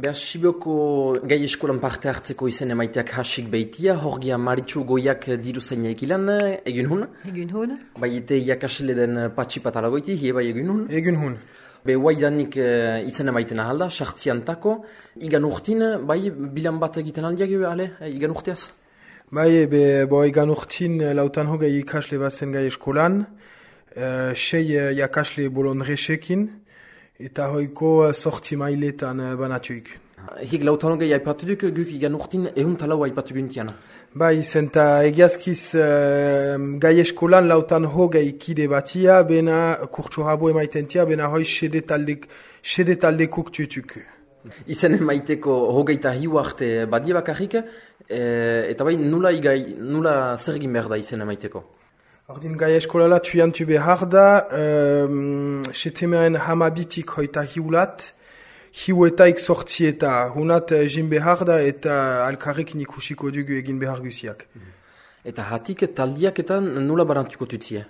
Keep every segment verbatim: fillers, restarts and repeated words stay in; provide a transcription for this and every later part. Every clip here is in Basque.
Beha, Sibioko gai eskolan parte hartzeko izen emaiteak hasik behitia, horgia Maritxu Goiak diru zaina ekilan, egin hun? Egin hun. Bai, ite iakasle den patxipatalagoiti, hie bai egin hun? Egin hun. Be, guaidanik uh, izen emaiten ahalda, sartziantako, igan urtin, bai, bilan bat egiten aldiak, ale, igan urteaz? Bai, be, bo, igan urtin lautan hogei ikasle bazen gai eskolan, uh, sei uh, iakasle bolondresekin, eta hoiko sortzi mailetan uh, banatuik. Hik lautan hogei aipatu duk, guk igan urtin ehun talau aipatu guntiana. Bai, zenta egiazkiz uh, gai eskolan lautan hogei kide batia, bena kurtso rabo emaitentia, bena hoi sede taldek, sede taldekuk tutuk. Izen emaiteko hogeita hiu arte badie bakarrik, e, eta bai nula, igai, nula zer egin behar da izen emaiteko? Ordin gai eskolala tuiantu behar da, um, setemean hamabitik hoita hiulat, hiuetaik sortzi eta hunat jin behar da eta alkarrekin ikusiko dugu egin behar guziak. Eta hatik taldiak eta nula barantuko tutzie?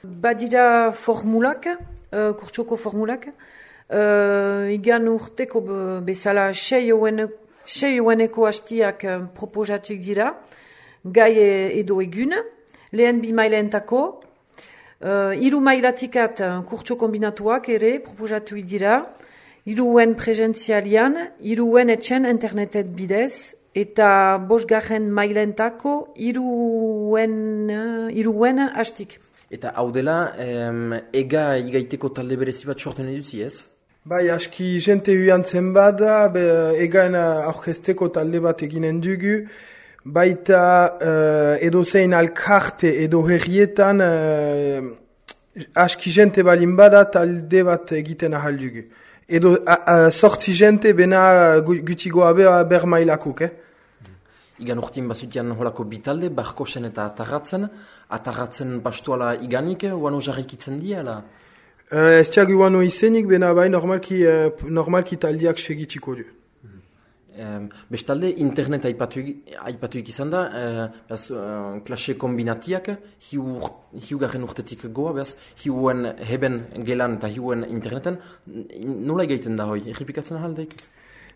Badira formulak, uh, kurtsoko formulak, uh, igan urteko bezala sei oeneko hastiak uh, proposatuik dira, gai edo egun, lehen bi maileentako, uh, iru mailatikat uh, kurtso kombinatuak ere proposatuik dira, iruen presentzialian, iruen etxen internetet bidez, eta bosgarren mailentako iruen, uh, iruen hastik. Eta hau dela, em, ega igaiteko talde berezi bat sorten eduzi ez? Bai, aski jente huiantzen bada, be, egaen aurkesteko talde bat eginen dugu, baita uh, edo zein alkarte edo herrietan uh, aski jente balin bada talde bat egiten ahal dugu. Edo uh, sortzi jente bena gutigoa beha ber mailakuk, eh? Igan urtin bazutian holako bitalde, barkosen eta atarratzen, atarratzen pastuala iganik, uano jarrikitzen diala? Uh, ez tiagu uano izenik, bena bai normalki, uh, normalki taldiak segitiko du. Um, bestalde, internet aipatuik izan da, uh, bez, uh, klase kombinatiak, hiu, hiu garen urtetik goa, bez, hiuen heben gelan eta hiuen interneten, nola egaiten da hoi, errepikatzen ahaldeik?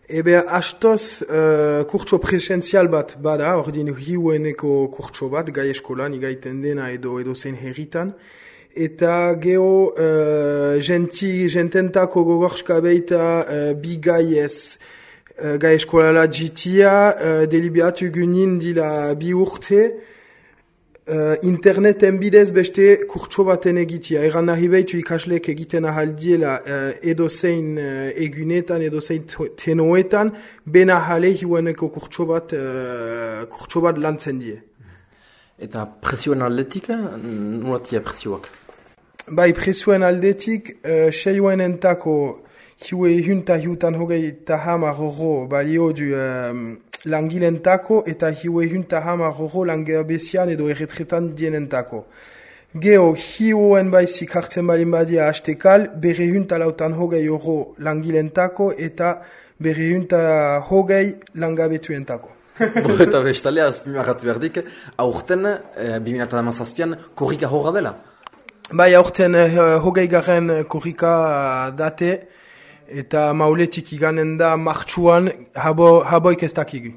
Ebe, astoz uh, kurtso presentzial bat bada, ordin hiueneko kurtso bat, gai eskolan, igaiten dena edo edo zein herritan, eta geho uh, genti, gententako gogorska beita uh, bi gai ez, Uh, gai eskolala jitia, uh, deliberatu gunin dila bi urte, uh, interneten bidez beste kurtso baten egitia. Eran nahi behitu ikasleek egiten ahaldiela uh, edo zein uh, egunetan, edo zein tenoetan, bena jale hiueneko kurtso bat, uh, kurtso bat lantzen die. Eta presioen aldetik, nolatia presioak? Bai, presioen aldetik, uh, seioen entako hiue ehunta hiutan hogei eta hamar horro balio du um, langilentako eta hiue ehunta hamar horro langerbezian edo erretretan dienentako. Geo, hiuen baizik hartzen balin badia hastekal, bere ehunta lautan hogei horro langilentako eta bere ehunta hogei langabetuentako. Bo, eta bestalea, azpimarratu berdik, aurten, eh, bi mila hamazazpian, korrika horra dela? Bai, aurten uh, hogei garen korrika date, eta mauletik iganen da martxuan, habo, haboik ez dakigu.